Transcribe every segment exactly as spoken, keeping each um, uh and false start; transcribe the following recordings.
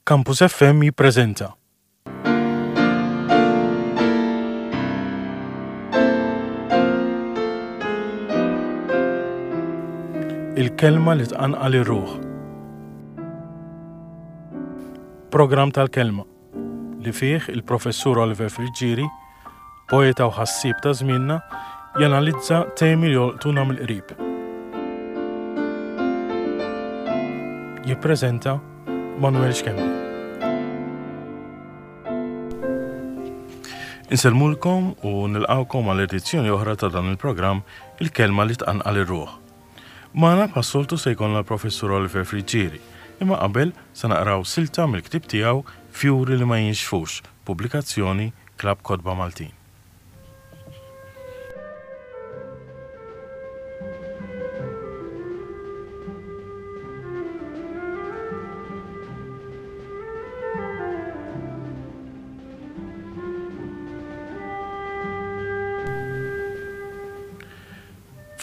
Campus F M jippreżenta Il-kelma li tqanqal ir-ruħ. Programm tal-kelma li fih il-Professur Oliver Friggieri, poeta u ħassieb ta' żmienna, janalizza temi li jolqtuna mill-qrib. Jippreżenta Manuel Schembri. Insellmulkom u nilqawkom għal edizzjoni oħra ta' dan il-programm Il-kelma li tqanqal ir-ruħ. Magħna bħas-soltu se jkollna l-Professur Oliver Friggieri, imma qabel se naqraw silta mill-ktieb tiegħu Fjuri li ma jinxfux, pubblikazzjoni Klabb Kotba Maltin.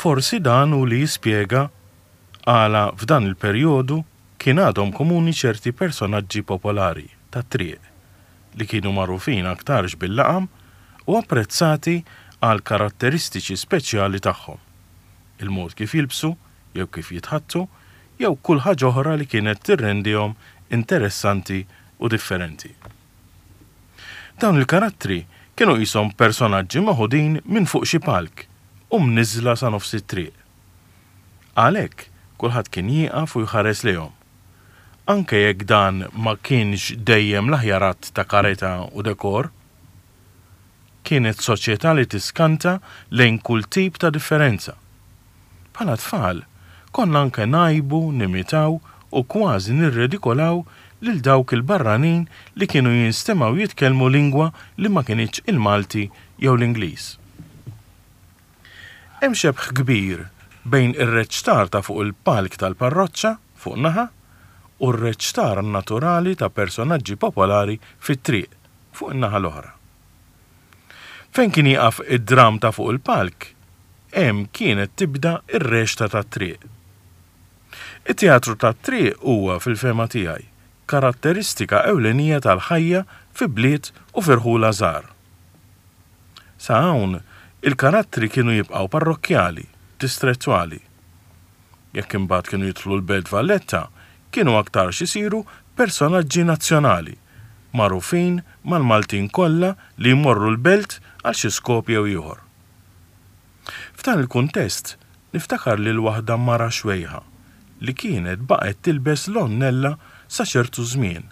Forsi dan hu li jispjega għala f'dan il-perjodu kien għadhom komuni ċerti personaġġi popolari tat-triq li kienu magħrufin aktarx bil-laqam u apprezzati għal karatteristiċi speċjali tagħhom. Il-mod kif jilbsu, jew kif jitħattu, jew kull ħaġa oħra li kienet tirrendihom interessanti u differenti. Dawn il-karattri kienu qishom personaġġi meħudin minn fuq xi palk u mniżla sa nofs it-triq. Għalhekk kulħadd kien jieqaf u jħares lejhom. Anke jekk dan ma kienx dejjem l-aħjar att ta' karità u dekor, kienet soċjetà li tiskanta lejn kull tip ta' differenza. Bħala tfal, konna anke ngħibu, nimitaw u kważi nirredikolaw lil dawk il-barranin li kienu jinstemgħu jitkellmu lingwa li ma kinitx il-Malti jew l-Ingliż. Hemm xebh kbir bejn ir-reċtar ta' fuq il-palk tal-parroċċa fuq naħa u r-reċtar naturali ta' personaġġi popolari fit-triq fuq in-naħa l-oħra. Fejn kien jieqaf id-dram ta' fuq il-palk, hemm kienet tibda ir-reċta tat-triq. It-teatru tat-triq huwa fil-fehma tiegħi karatteristika ewlenija tal-ħajja fi bliet u firħula żgħar. Sa hawn il-karattri kienu jibqgħu parrokkjali, distrettwali. Jekk imbagħad kienu jidħlu l-Belt Valletta, kienu aktarx isiru personaġġi nazzjonali, magħrufin mal-Maltin kollha li jmorru l-belt għal xi skop jew ieħor. F'dan il-kuntest niftakar lil waħda mara xwejħa li kienet baqgħet tilbes l-onnella sa ċertu żmien,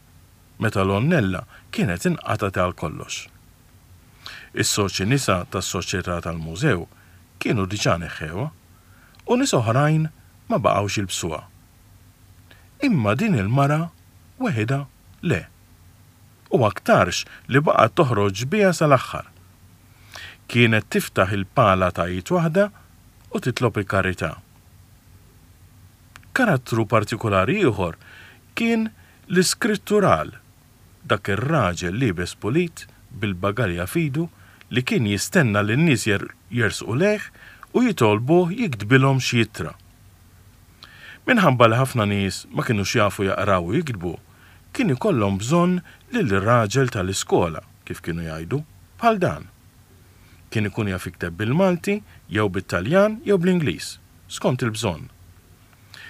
meta l-onnella kienet inqatgħet għal kollox. Is-soċi nisa tas-soċjetà tal-mużew kienu diġà neħħewha u nies oħrajn ma baqgħux jilbsuha. Imma din il-mara weħidha le. U aktarx li baqgħet toħroġ biha sal-aħħar. Kienet tiftaħ il-pala ta' id waħda u titlob il-karità. Karattru partikolari ieħor kien l-iskrittural, dak ir-raġel liebes pulit bil-bagalja fidu li kien jistenna li n-nies jer-, jersqu lejh u jitolbuh jiktbilhom xi ittra. Minħabba li ħafna nies ma kinux jafu jaqraw u jiktbu, kien ikollhom bżonn lil raġel tal-iskola, kif kienu jgħidu, bħal dan. Kien ikun jaf jikteb bil-Malti, jew bit-Taljan, jew bl-Ingliż, skont il-bżonn.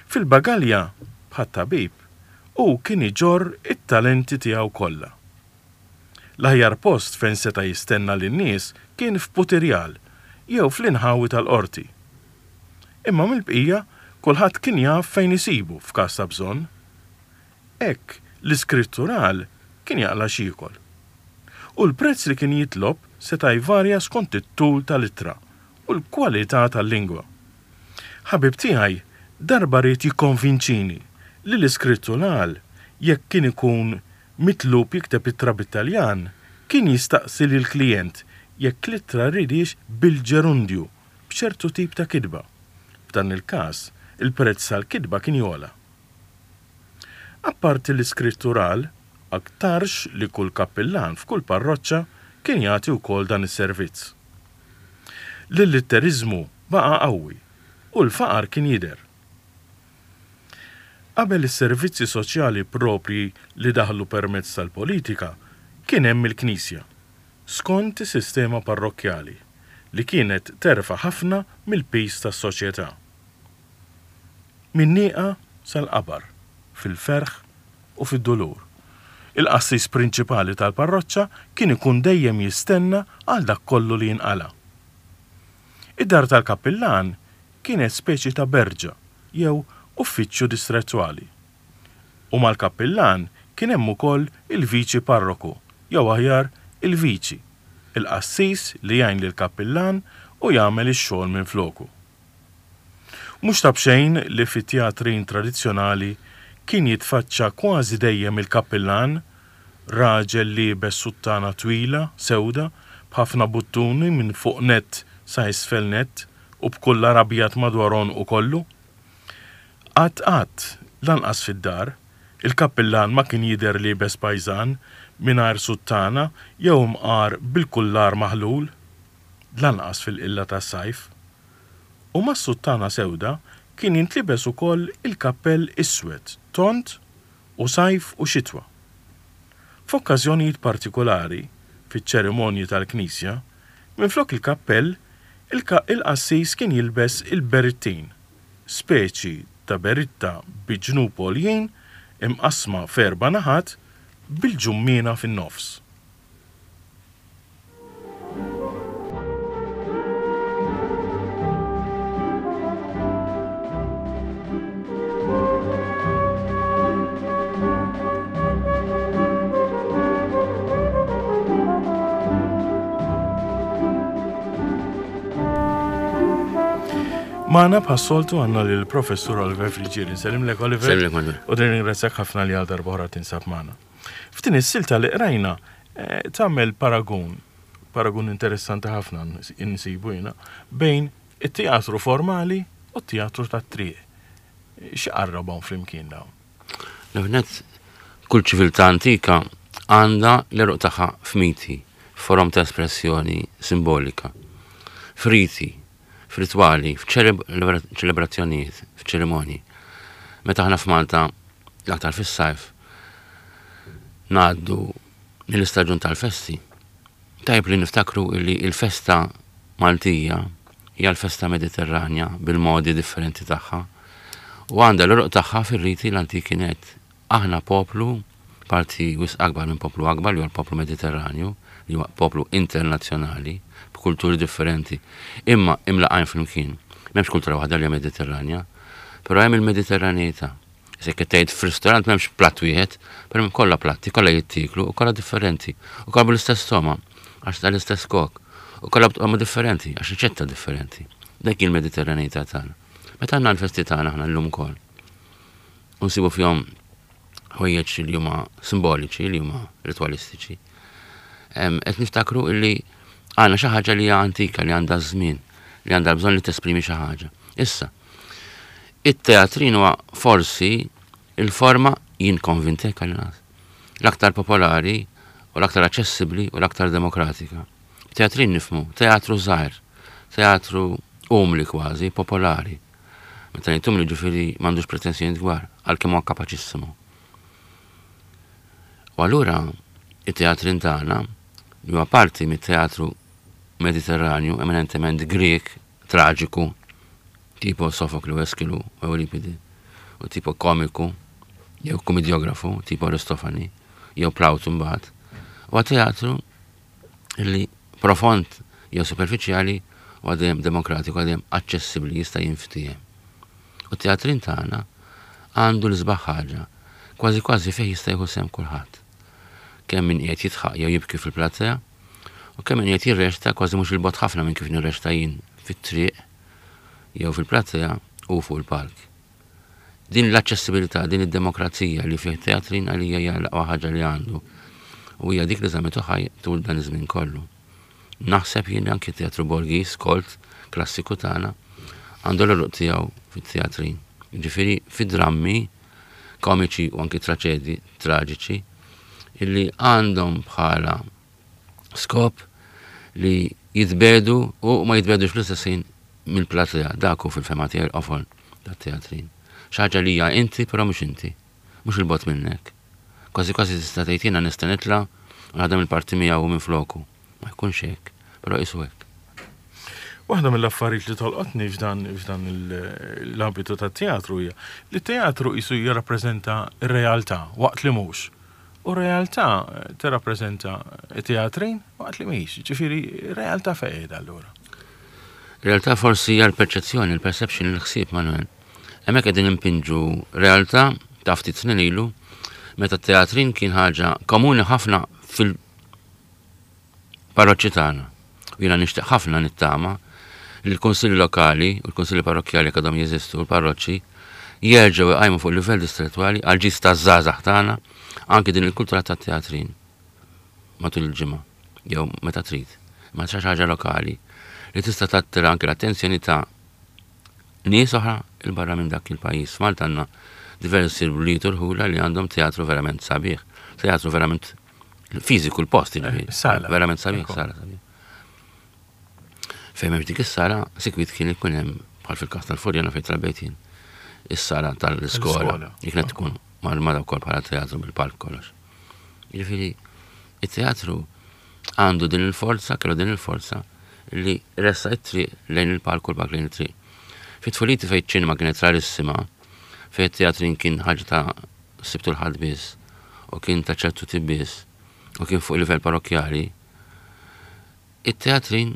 Fil-bagalja, bħat-tabib, hu kien iġorr it-talenti tiegħu kollha. L-aħjar post fejn seta' jistenna lin-nies kien f'Putirjal jew fl-inħawi tal-qorti. Imma mill-bqija kulħadd kien jaf fejn isibu f'każ ta' bżonn. Hekk l-iskrittural kien jaqla' x'jiekol. U l-prezz li kien jitlob seta' jvarja skont it-tul tal-ittra u l-kwalità tal-lingwa. Ħabib tiegħi darba ried jikkonvinċini li l-iskrittural jekk kien ikun mitlub jikteb ittra bit-Taljan, kien jistaqsi lill-klijent jekk l-ittra ridiex bil-ġerundju b'ċertu tip ta' kitba. F'dan il-każ, il-prezz tal-kitba kien jogħla. Apparti l-iskrittural, aktarx li kull kappillan f'kull parroċċa kien jagħti wkoll dan is-servizz. L-illitteriżmu baqa' qawwi u l-faqar kien jidher. Qabel is-servizzi soċjali proprji li daħlu permezz tal-politika, kien hemm il-Knisja, skont is-sistema parrokkjali, li kienet terfa' ħafna mill-piż tas-soċjetà. Min-nieqa sal-qabar, fil-ferħ u fid-dulur. Il-qassis prinċipali tal-parroċċa kien ikun dejjem jistenna għal dak kollu li jinqala'. Id-dar tal-kappillan kienet speċi ta' berġa jew uffiċċju distrettwali. U mal-kappillan kien hemm ukoll il-viċi parroku, jew aħjar il-viċi, il-qassis li jgħin lill-kappillan u jagħmel ix-xogħol minfloku. Mhux ta' b'xejn li fit-teatrin tradizzjonali kien jitfaċċa kważi dejjem il-kappillan, raġel liebes suttana twila, sewda, b'ħafna buttuni minn fuq nett sa isfel nett u b'kullar abjad madwar għonqu kollu. Qatt qatt, lanqas fid-dar, il-kappillan ma kien jidher liebes pajżan, mingħajr suttana jew imqar bil-kullar maħlul, lanqas fil-qilla tas-sajf. U mas-suttana sewda kien jintlibes ukoll il-kappell iswed, tond u sajf u xitwa. F'okkażjonijiet partikulari, fiċ-ċerimonji tal-knisja, minflok il-kappell, il-qassis kien jilbes il-berittin, speċi ta' beritta bi ġnub għoljin imqassma f'erba' naħat bil-ġummiena fin-nofs. Magħna bħas-soltu għandna lill Professur Oliver Friggieri. Nsellimlek Oliver. Sellimlek Manuel. U nirringrazzjak ħafna li għal darb'oħra tinsab magħna. F'din is-silta li qrajna eh, tagħmel paragun, paragun interessanti ħafna insibu jiena, bejn it-teatru formali u t-teatru tat-triq. X'qarrabhom flimkien dawn? L-ewwel, kull ċiviltà antika għandha l-għeruq tagħha f'miti, forom ta' espressjoni simbolika, f'riti, f'ritwali, f'ċelebrazzjonijiet, f'ċerimonji. Meta aħna f'Malta, l-aktar fis-sajf, ngħaddu mill-istaġun tal-festi. Tajb li niftakru li il-festa Maltija hija l-festa Mediterranja bil-modi differenti tagħha u għandha l-għeruq tagħha fir-riti l-antiki net. Aħna poplu, parti wisq akbar minn poplu akbar, li huwa l-poplu Mediterranju, li huwa poplu internazzjonali, b'kulturi differenti, imma imlaqajn flimkien. M'hemmx kultura waħda li hija Mediterranja, però hemm il-Mediterranità. Se qed tgħid f'ristorant m'hemmx platt wieħed, però hemm kollha platti, kollha jittieklu u kollha differenti, u kollha bl-istess toma, għax tal-istess kok, u kollha b'toma differenti, għax riċetta differenti. Dik il-Mediterranità tagħna. Meta għandna l-festi tagħna aħna llum ukoll, u nsibu fihom ħwejjeġ li huma simboliċi, li huma ritwalistiċi. Qed niftakru illi għandna xi ħaġa li hija antika, li għandha żmien, li għandha bżonn li tesprimi xi ħaġa. Issa, it-teatrin huwa forsi il-forma, jien konvintek għal nas, l-aktar popolari u l-aktar aċċessibbli u l-aktar demokratika. Teatrin nifmu, teatru żgħir, teatru umli kważi, popolari. Meta ngħid umli ġifieri m'għandux pretensjoni kbar, għalkemm huwa kapaċissimu. U allura it-teatrin tagħna li huwa parti mit-teatru Mediterranju, eminentement Grek, traġiku, tipo Sofokli u Eskilu u Euripidi, u tipo komiku, jew komediografu, tipo Aristofani, jew Plawtu mbagħad. Huwa teatru li profond jew superfiċjali u għadem demokratiku, għadem aċċessibbli, jista' jinftiehem. U teatrin tagħna għandu l-isbaħ ħaġa, kważi kważi fejn jista' jieħu sehem kulħadd. Kemm min qiegħed jidħaq jew jibki fil-platea, u kemm min qiegħed jirrexta kważi mhux il-bogħod ħafna minn kif nirrexta jien fit-triq jew fil-platea u fuq il-palk. Din l-aċċessibilità, din id-demokrazija li fih teatrin għalija hija l-aqwa ħaġa li għandu. U hija dik li żammitu ħaj tul dan iż-żmien kollu. Naħseb jien anki teatru Borghis, kolt, klassiku tagħna, għandu l-għeruq tiegħu fit-teatrin. Ġifieri fid-drammi komiċi u anki traċedji traġiċi illi għandhom bħala skop li jitbedu u ma jitbedux fl-istess ħin mill-platea. Dak hu fil-fema tiegħi l-qofol tat-teatrin. Xi ħaġa li hija inti però mhux inti, mhux il-bogħod minnek. Kważi kważi tista' tgħid jiena nista' nitla' u naħdem il-parti miegħu minn floku. Ma jkunx hekk, però qisu hekk. Waħda mill-affarijiet li tolqotni f'dan f'dan l-ambitu tat-teatru hija li t-teatru qisu jirrappreżenta r-realtà waqt li mhux. U r-realtà tirrappreżenta t-teatrin waqt li mhix. Ġifieri realtà fejn qiegħda allura? Realtà forsi hija l-perċezzjoni, il-perception, il-ħsieb, Manuel. Hemmhekk qegħdin impinġu realtà ta' ftit snin ilu meta t-teatrin kien ħaġa komuni ħafna fil-parroċċi tagħna. U jiena nixtieq ħafna nittama li l-kunsilli lokali u l-kunsilli parrokkjali jekk għadhom jeżistu, l-parroċċi, jerġgħu jqajmu fuq livell distrettwali għal ġid taż-żgħażagħ tagħna anki din il-kultura tat-teatrin matul il-ġimgħa jew meta trid. Ma xi ħaġa lokali li tista' tattira anki l-attenzjoni ta' nies oħra il barra minn dak il-pajjiż. F'Malta għandna diversi bliet u rħula li għandhom teatru verament sabiħ, teatru verament fiżiku l-post, jiġifieri. Sala. Verament sabiħ, sala sabiħ. Fejn m'hemmx dik is-sala, sikwit kien ikun hemm bħal fil-każ tal-Furjana fejn trabejt jien, is-sala tal-iskola, li kienet tkun marmara wkoll bħala teatru bil-palk kollox. Jiġifieri, it-teatru għandu din il-forza, kellu din il-forza li ressa it-triq lejn il-palk u l-palk lejn it-triq. Fi tfuliti fejn ċinema kienet rarissima, fejn it-teatrin kien ħaġa ta' sibtu l-ħadd biss u kien ta' ċertu tip biss u kien fuq livell parrokkjali, it-teatrin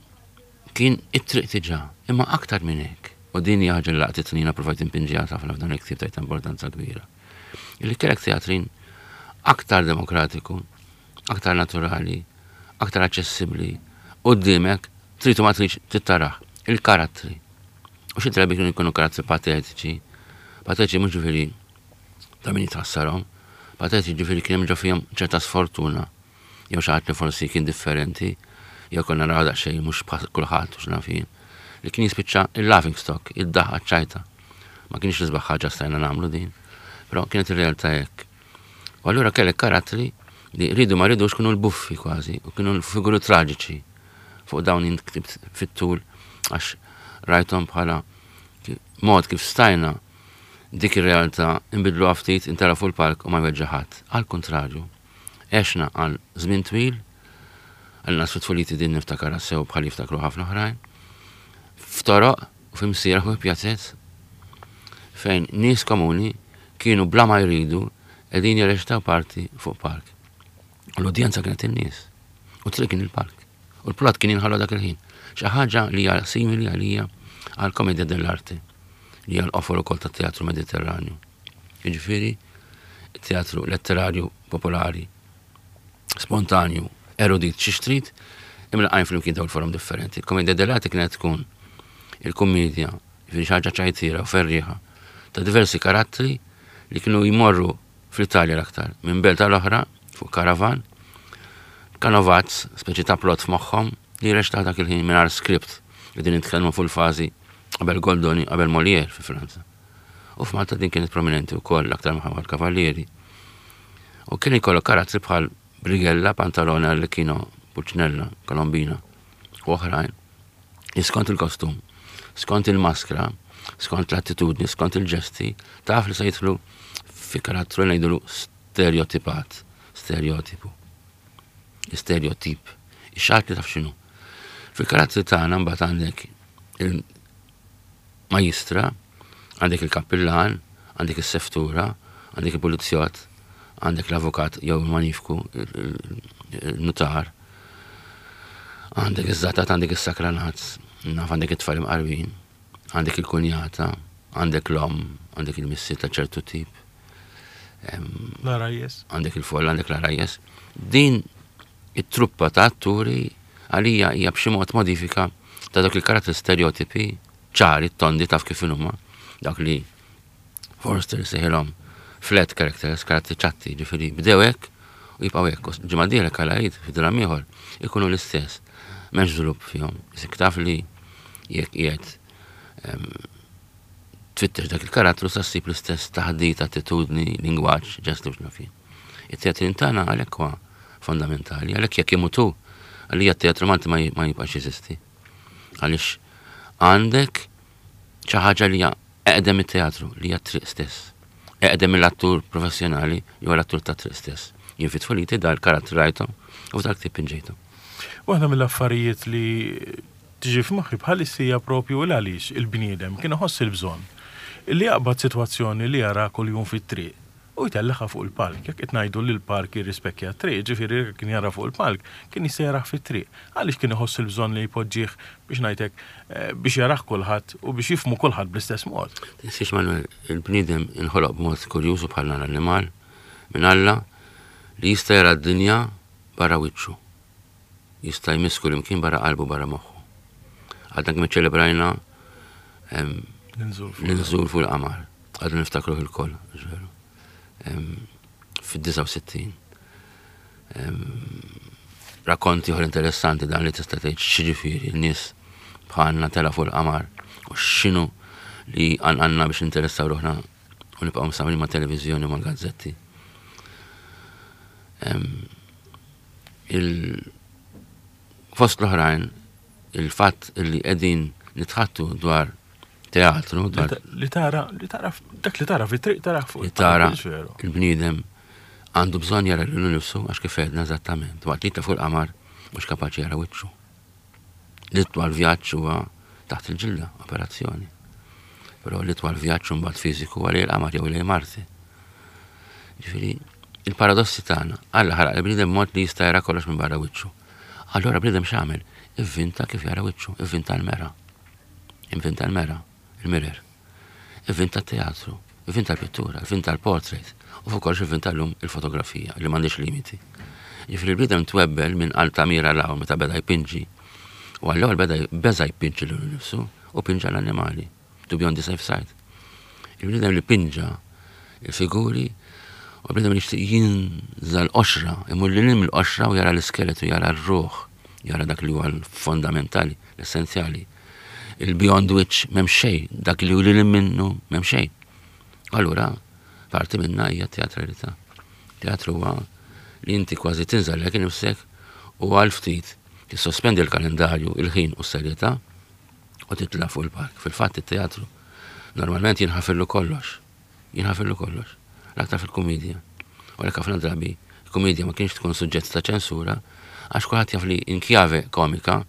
kien it-triq diġà, imma aktar minn hekk. U din hija ħaġa li laqtitni jiena provajt impinġiha ħafna f'dan il-ktieb tajt importanza kbira. Illi kellek teatrin aktar demokratiku, aktar naturali, aktar aċċessibbli, quddiemek trid u ma tridx trid il-karattri. U xi drabi kienu jkunu karattri patetiċi. Patetiċi mhux ġifieri ta' min jitħassarhom, patetiċi ġifieri kien hemm ġo fihom ċerta sfortuna jew xi ħadd li forsi kien differenti, jew konna naraw daqsxejn mhux bħal kulħadd u x'naf jien, li kien jispiċċa il-laughing stock, id-daħqa ċajta. Ma kienx l-isbaħ ħaġa stajna nagħmlu din, però kienet ir-realtà hekk. U allura kellek karattri li rridu ma rridux kienu l-buffi kważi, u kienu l-figuri traġiċi. Fuq dawn jien ktibt fit-tul għax rajthom bħala mod kif stajna dik ir-realtà inbidlu ftit intara fuq il-palk u ma jweġġa' ħadd. Għal kontrarju, għexna għal żmien twil, għal nas fit-tfuliti din niftakar sew bħal jiftakru ħafna oħrajn, f'toroq u f'imsieraħ u pjazzez fejn nies komuni kienu bla ma jridu qegħdin jirreċtaw parti fuq park. U l-udjenza kienet in-nies. U triq kien il-park. U l-plot kien jinħallu dak il-ħin. Xi ħaġa li hija simili għalija għal komedja dell'arte li hija l-qofol ukoll tat-teatru Mediterranju. Jiġifieri teatru letterarju popolari, spontanju, erudit xi trid, imlaqajn flimkien dawn il-forom differenti. Il-komedja dell'arte kienet tkun il-kummedja, jiġifieri xi ħaġa ċajtira u ferrieħa ta' diversi karattri li kienu jmorru fl-Italja l-aktar, minn belt tal-oħra fuq karavan, kanovazz, speċi ta' plot f'moħħhom li jirreċtaw dak il-ħin mingħajr script, qegħdin nitkellmu fuq il-fażi qabel Goldoni, qabel Molière fi Franza. U f'Malta din kienet prominenti wkoll l-aktar minħabba l-Kavallieri. U kien ikollu karattri bħal Brighella, Pantalone, Arlecchino, Pulcinella, Colombina u oħrajn. Li skont il-kostum, skont il-maskra, skont l-attitudni, skont il-ġesti, taf li se jidħlu fi karattru li ngħidulu stereotipat, stereotipu, stereotip. Ix-xatt li taf x'inhu. Fil-karattri tagħna mbagħad għandek il-majistra, għandek il-kappillan, għandek is-seftura, għandek il-pulizjott, għandek l-avukat jew il-manifku, il-nutar, għandek iż-żatat, għandek is-sakranazz, naf għandek it-tfal imqarbin, għandek il-kunjata, għandek l-om, għandek il-missier ta' ċertu tip. L-arajjes. Għandek il-folla, għandek l-arajjes. Din it-truppa ta' atturi għalija hija b'xi mod modifika ta' dak il-karattri stereotipi ċari, tondi taf kif huma, dak li Forster seħilhom flat characters, karattri ċatti, ġifieri bdew hekk u jibqgħu hekk. Ġimgħa dieħla kalajt fi dram ieħor ikunu l-istess. M'hemmx żvilupp fihom. Isek taf li jekk qiegħed tfittex dak il-karattru sa ssib l-istess taħdit, attitudni, lingwaġġ, ġesti u x'naf jien. It-teatrin tagħna għalhekk huwa fondamentali, għalhekk jekk imutu, għalija t-teatru Malti ma jibqax jeżisti. Għaliex għandek xi ħaġa li hija Eqdem it-teatru li hija triq stess. Eqdem mill-attur professjonali jew l-attur ta' triq stess. Jien fi tfuliti dal-karattru rajthom u f'dal-ktieb pinġejthom. Waħda mill-affarijiet li tiġi f'moħħi bħalissa hija propju l għaliex il-bniedem kien iħoss il-bżonn li jaqbad sitwazzjoni li jara kuljum fit-triq u jtellagħha fuq il-palk. Jekk qed ngħidu li l-palk jirrispekkja t-triq, ġifieri kien jara fuq il-palk, kien jista' jarah fit-triq. Għaliex kien iħoss il-bżonn li jpoġġih biex ngħidlek eh, biex jarah kulħadd u biex jifhmu kulħadd bl-istess mod. Tinsiex, Manuel, il-bniedem inħoloq b'mod kurjuż bħal l-annimal minn Alla li jista' jara d-dinja barra wiċċu. Jista' jmiss kullimkien barra qalbu, barra moħħu. Għadna kemm ċelebrajna l-inżul fuq il-qamar. Għadna niftakruh ilkoll, veru. Fid-disgħa u sittin. Rakkonti oħra interessanti dan li tista' tgħid x'jiġifieri n-nies bħalna tela' fuq il-qamar u x'inhu li għandna biex interessaw ruħna u nibqgħu msawrin ma' televiżjoni u ma' gazzetti. Il fost l-oħrajn il-fatt li qegħdin nitħaddtu dwar teatru, dwar Li tara, li tara, dak li tara fit-triq tara fuq li tara il-bniedem għandu bżonn jara lilu nifsu għax kif għedna eżattament. Waqt li fuq il-qamar mhux kapaċi jara wiċċu. L-itwal vjaġġ huwa taħt il-ġilda, operazzjoni. Però l-itwal vjaġġ mbagħad fiżiku huwa lejn il-qamar jew lejn Marti. Ġifieri, il paradossi tagħna, Alla ħalaq il-bniedem mod li jista' jara kollox minn barra wiċċu. Allora bniedem x'għamel? Ivvinta kif jara wiċċu, ivvinta l-mera. Ivvinta l-mera, il-mirror. Ivvinta t-teatru, ivvinta l-pittura, ivvinta l-portrait, u fuq kollox ivvinta llum il-fotografija li m'għandix limiti. Ġifieri l-bniedem twebbel minn Altamira 'l hawn meta beda jpinġi. U għall-ewwel beda beża jpinġi lilu nnifsu u pinġa l-annimali, to be on the safe side. Il-bniedem li pinġa il-figuri u l-bniedem li jixtieq jinża l-qoxra, imur lil hinn mill-qoxra u jara l-iskeletu, jara r-ruħ, jara dak li huwa l-fondamentali, l-essenzjali. Il-beyond which m'hemm xejn, dak li hu lil minnu m'hemm xejn. Allura, parti minna hija teatralità. Teatru huwa li inti kważi tinżel lek nifsek u għal ftit tissospendi l-kalendarju, il-ħin u s-serjetà u titla' fuq il-palk. Fil-fatt it-teatru normalment jinħafirlu kollox. Jinħafirlu kollox. L-aktar fil-kumedja. U għalhekk ħafna drabi il-kumedja ma kienx tkun suġġett ta' ċensura għax kulħadd jaf li in kjave komika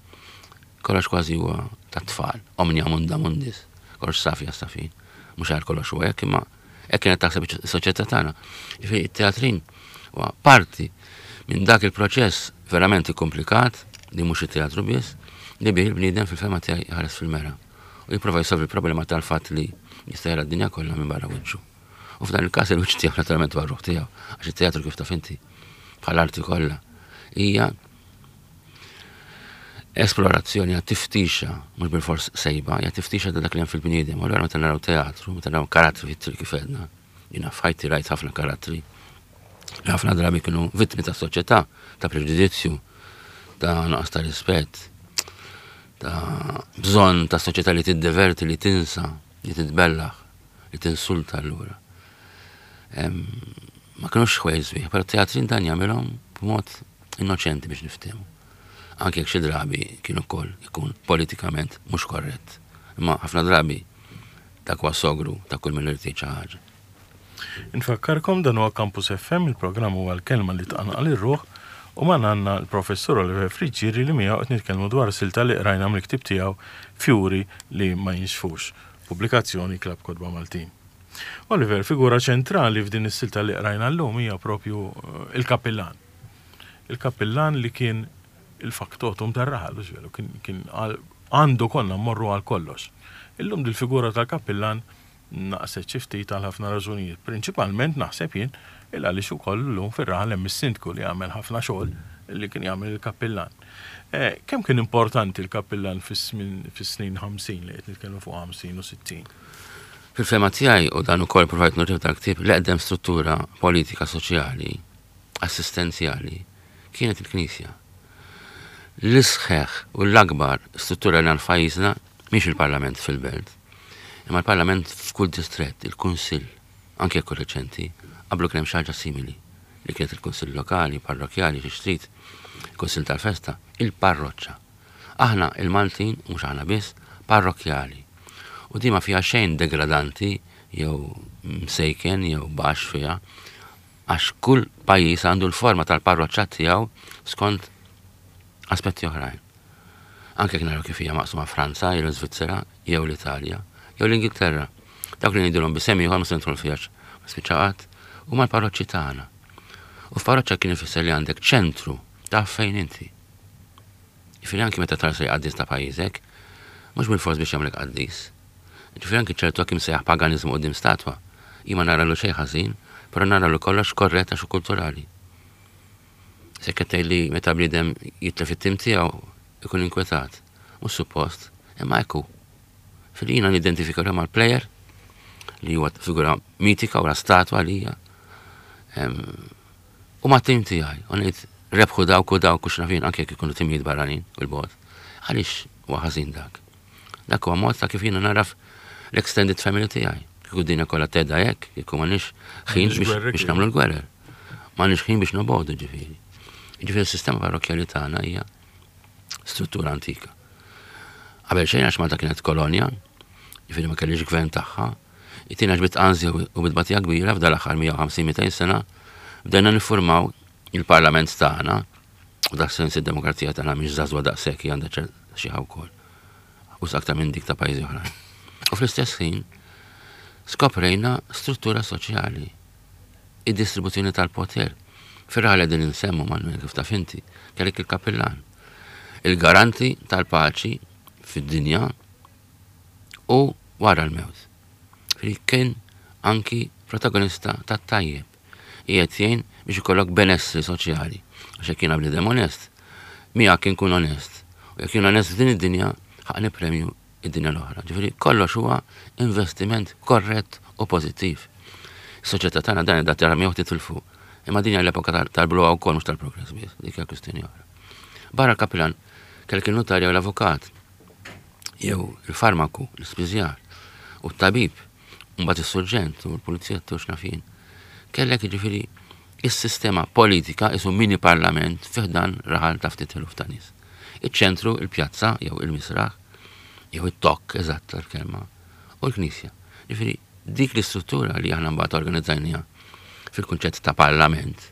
kollox kważi huwa ta' tfal, omnia munda mundis, kollox safi għas-safin. Mhux għal kollox huwa hekk, imma hekk kienet taħseb is-soċjetà tagħna. Ġifieri it-teatrin huwa parti minn dak il-proċess verament komplikat li mhux it-teatru biss, li bih il-bniedem fil-fehma tiegħi ħares fil-mera u jipprova jsolvi il-problema tal-fatt li jista' jara d-dinja kollha minn barra wiċċu. U f'dan il-każ il-wiċċ tiegħu naturalment huwa r-ruħ tiegħu, għax it-teatru, kif taf inti, bħal-arti kollha, hija esplorazzjoni, hija tiftixa, mhux bil-fors sejba, hija tiftixa ta' dak li hemm fil-bniedem. U allura meta naraw teatru, meta naraw karattri fit-triq, kif għedna, jiena f'ħajti rajt ħafna karattri li ħafna drabi kienu vittmi ta' soċjetà, ta' preġudizzju, ta' nuqqas ta' rispett, ta' bżonn ta' soċjetà li tiddeverti, li tinsa, li titbellaħ, li tinsulta allura. Ma kienux ħwejjeġ sbieħ, però teatrin dan jagħmilhom b'mod innoċenti biex niftehmu. Anke jekk xi drabi kienu wkoll ikun politikament mhux korrett. Imma ħafna drabi dak huwa sogru ta' kull min irid xi ħaġa. Infakkarkom, dan huwa Campus F M, il-programm huwa L-Kelma li Tqanqal ir-Ruħ u magħna għandna l-professur Oliver Friggieri li miegħu qed nitkellmu dwar silta li qrajna mill-ktieb tiegħu Fjuri li ma Jinxfux, pubblikazzjoni Klabb Kotba Maltin. Oliver, figura ċentrali f'din is-silta li qrajna llum hija propju eh, il-kapillan. Il-kapillan li kien il-faktotum tar-raħal, veru, kien, kien għandu konna mmorru għal kollox. Illum dil-figura tal-kapillan naqset xi ftit għal ħafna raġunijiet. Prinċipalment naħseb jien il għaliex ukoll llum fir-raħal hemm is-sindku li jagħmel ħafna xogħol li kien jagħmel il-kappillan. Eh, kemm kien importanti il-kappillan fis-snin ħamsin, li qed nitkellmu fuq ħamsin u sittin? Fil-fehma tiegħi, u dan ukoll provajt nurih dal-ktieb, l-eqdem struttura politika soċjali assistenzjali kienet il-Knisja. L-isħeħ u l-akbar struttura li għandna f'pajjiżna mhix il-Parlament fil-belt, imma l-Parlament f'kull distret, il-Kunsill, anke jekk reċenti, qablu kien hemm xi ħaġa simili li kienet il-Kunsill lokali, parrokjali, xi trid, il-Kunsill tal-festa, il-parroċċa. Aħna il-Maltin, mhux aħna biss, parrokjali. U di ma fiha xejn degradanti jew msejken jew baxx fiha, għax kull pajjiż għandu l-forma tal-parroċċa tiegħu skont aspetti oħrajn. Anke jekk naraw kif hija maqsuma Franza, jew l-Iżvizzera, jew l-Italja, jew l-Ingilterra. Dawk li ngħidulhom b'isem ieħor ma se nidħol fiha ma spiċċa qatt, huma l-parroċċi tagħna. U f'parroċċa kien ifisser li għandek ċentru taf fejn inti. Jiġifieri anki meta tara qaddis ta' pajjiżek, mhux bil-fors biex jagħmlek qaddis. Jiġifieri anki ċertu kim sejjaħ paganiżmu quddiem statwa. Jien ma naralu xejn ħażin, però naralu kollox korrett għax kulturali. Se qed li meta bniedem jitlef it-tim tiegħu ikun inkwetat. Mhux suppost, imma ekku. Fil-jina nidentifika mal-player li huwa figura mitika u la statwa li hija. U ma' tim tiegħi, u ngħid rebħu dawk u dawk u x'naf jien anke jekk ikunu timijiet barranin u l-bot. Għaliex huwa ħażin dak? Dak huwa mod ta' kif jiena naraf l-extended family tiegħi. Kieku dinja kollha tedda hekk, kieku m'għandniex ħin biex nagħmlu l-gwerer. M'għandniex ħin biex nobogħdu ġifieri. Ġifieri s-sistema parrokkjali tagħna hija struttura antika. Qabel xejn għax Malta kienet kolonja, ġifieri ma kellix gvern tagħha, it-tieni għax bit-anżja u bit-tbatija kbira f'dal aħħar mija u ħamsin mitejn sena bdejna niffurmaw il-parlament tagħna, u dak sens id-demokrazija tagħna mhix żagħżugħa daqshekk, hija għandha xi wkoll. U aktar minn dik ta' pajjiżi oħrajn. U fl-istess ħin skoprejna struttura soċjali, id-distribuzzjoni tal-poter. Fir-raħal qegħdin insemmu Manuel kif taf inti, kellek il-kapillan, il-garanti tal-paċi fid-dinja u wara l-mewt. Fri kien anki protagonista tat-tajjeb. Qiegħed jgħin biex ikollok benessri soċjali. Għax jekk jiena bniedem onest, miegħek kien kun onest. U jekk jien onest f'din id-dinja, ħaqni premju id-dinja l-oħra. Ġifieri kollox huwa investiment korrett u pożittiv. Is-soċjetà tagħna dan qiegħda tara miegħu titilfu. Imma din hija l-epoka tal-bluha wkoll mhux tal-progress biss, dik hija kwistjoni oħra. Barra l-kapillan kellek il-notarja u l-avukat, jew il-farmaku, l-ispiżjar, u t-tabib, mbagħad is-surġent u l-pulizija u x'naf jien. Kellek jiġifieri is-sistema politika isu mini parlament fi ħdan raħal ta' ftit eluf ta' nies. Iċ-ċentru, il-pjazza, jew il-misraħ, jew it-tokk, eżatt tal-kelma, u l-knisja. Ġifieri dik l-istruttura li aħna mbagħad organizzajniha fil-kunċett ta' parlament,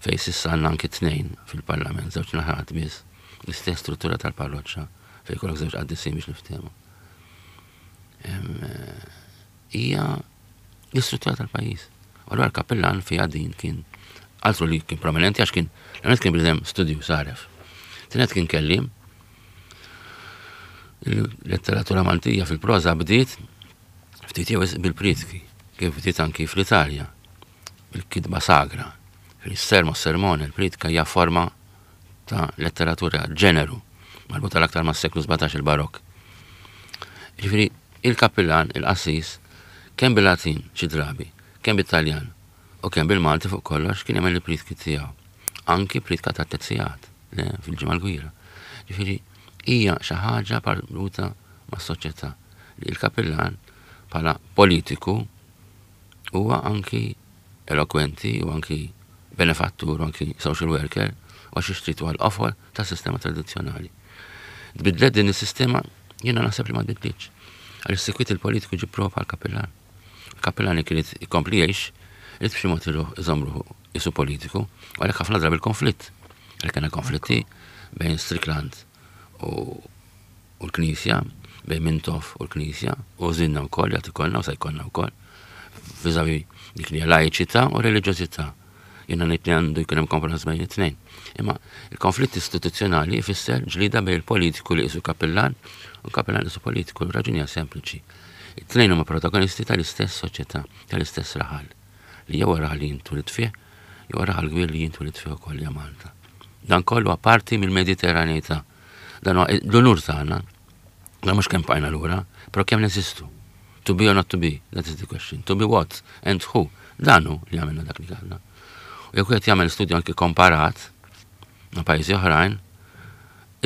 fej s'issa għandna anki tnejn fil-parlament, żewġ naħat biss, l-istess struttura tal-parroċċa fej kollok żewġ qaddisin biex niftehmu. Hija l-istruttura tal-pajjiż. U allura l-kappillan fiha din kien altru li kien prominenti għax kien l-għanet kien bniedem studju saref. Tinet kien kellim. Il-letteratura Maltija fil-proża bdiet ftit jew bil-pritki, kif bdiet anki fl-Italja, bil-kitba sagra. Fil-sermo, sermone, il-pritka hija forma ta' letteratura ġeneru, marbuta l-aktar mas seklu sbatax il-barok. Ġifieri, il-kappillan, il-qassis, kemm bil-Latin xi drabi, kemm bit-Taljan u kemm bil-Malti fuq kollox kien jagħmel il-pritki tiegħu. Anki pritka ta' tezzijat, le, fil-ġimgħa l-kbira. Ġifieri, hija xi ħaġa marbuta mas-soċjetà li l-kappillan bħala politiku huwa anki elokwenti u anki benefattur u anki social worker u għax ixtrit huwa l-qofol tas-sistema tradizzjonali. Tbidlet din is-sistema, jiena naħseb li ma tbidlitx. Għaliex sikwit il-politiku ġib prova għall-kappillan. Il-kappillan kien ikompli jgħix, irid b'xi mod iruħ iżomm ruħu isu politiku, u għalhekk ħafna drabi l-konflitt. Għalhekk kellna konflitti bejn Strickland u, u l-Knisja, bejn Mintoff u l-Knisja, u żinna wkoll, jagħti kollna u se jkollna wkoll, viżavi dik li hija laiċità u reliġjożità. Jiena ngħid li għandu jkun hemm kompromess bejn it-tnejn. Imma il-konflitt istituzzjonali jfisser ġlida bejn il-politiku li qisu kappillan u l-kappillan qisu politiku. Ir-raġuni hija sempliċi. It-tnejn huma protagonisti tal-istess soċjetà, tal-istess raħal, li jew raħal li jintulit fih, jew raħal kbir li jintulit fih ukoll hija Malta. Dan kollu apparti mill-Mediterraneità. Dan huwa l-unur tagħna, dan mhux kemm bqajna lura, però kemm neżistu. To be or not to be, that is the question. To be what and who. Dan hu li għamilna dak li għandna. U jekk wieħed jagħmel studju anki komparat ma' pajjiżi oħrajn,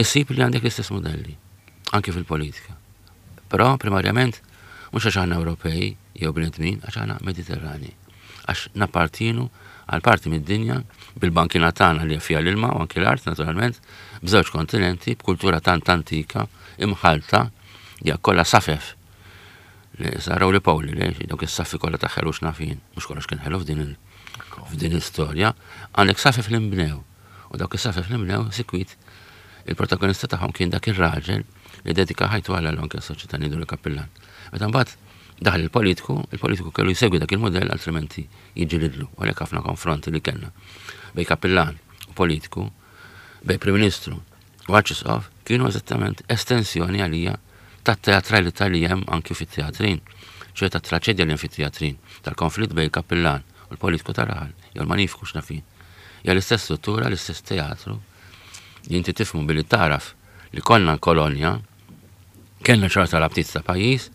isib li għandek l-istess modelli, anki fil-politika. Però primarjament mhux għax aħna Ewropej jew bnedmin, għax aħna Mediterrani. Għax nappartienu għal parti mid-dinja bil-bankina tagħna li fiha l-ilma u anki l-art naturalment, b'żewġ kontinenti, b'kultura tant antika, imħalta, hija kollha safef. Saraw li Pawli, li dawk is-saffi kollha ta' ħelu x'nafin, mhux kollox kien ħelu f'din f'din l-istorja, għandek saffi fl-imbnew. U dawk is-saffi fl-imbnew sikwit il-protagonista tagħhom kien dak ir-raġel li dedika ħajtu għal anke s-soċjetà ngħidu l-kappillan. Meta mbagħad daħal il-politiku, il-politiku kellu jsegwi dak il-modell altrimenti jiġġilidlu. U għalhekk ħafna konfronti li kellna bej kappillan u politiku, bej Prim Ministru u Arċisqof kienu eżattament estensjoni għalija tat-teatralità li hemm anki fit-teatrin, ċoè tat-traċedja li hemm fit-teatrin, tal-konflitt bej il-kappillan u l-politiku tar-raħal, jew l-manifiku x'nafin. Hija l-istess struttura, l-istess teatru, li inti tifhmu billi taraf li konna kolonja, kellna ċerta rabtiet ta' pajjiż,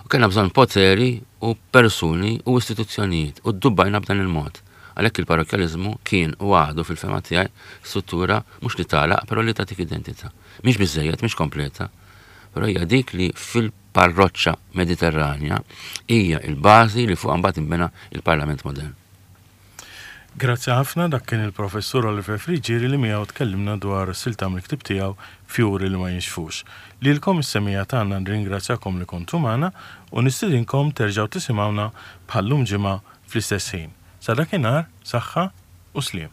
u kellna bżonn poteri u persuni u istituzzjonijiet, u ddubbajna b'dan il-mod. Għalhekk il-parrokjaliżmu kien u għadu fil-fehma tiegħi struttura mhux li tagħlaq, però li tagħtik identità. Mhix biżejjed, mhix kompleta, però hija dik li fil-parroċċa Mediterranja hija il-bażi li fuq mbagħad inbena il-Parlament modern. Grazzi ħafna, dak kien il-professur Oliver Friggieri li miegħu tkellimna dwar silta mill-ktieb tiegħu Fjuri li ma jinxfux. Lilkom is-semmiegħa tagħna nringrazzjakom li kontu magħna u nistedinkom terġgħu tisimgħuna bħallum ġimgħa fl-istess ħin. Sa dakinhar, saħħa u sliem.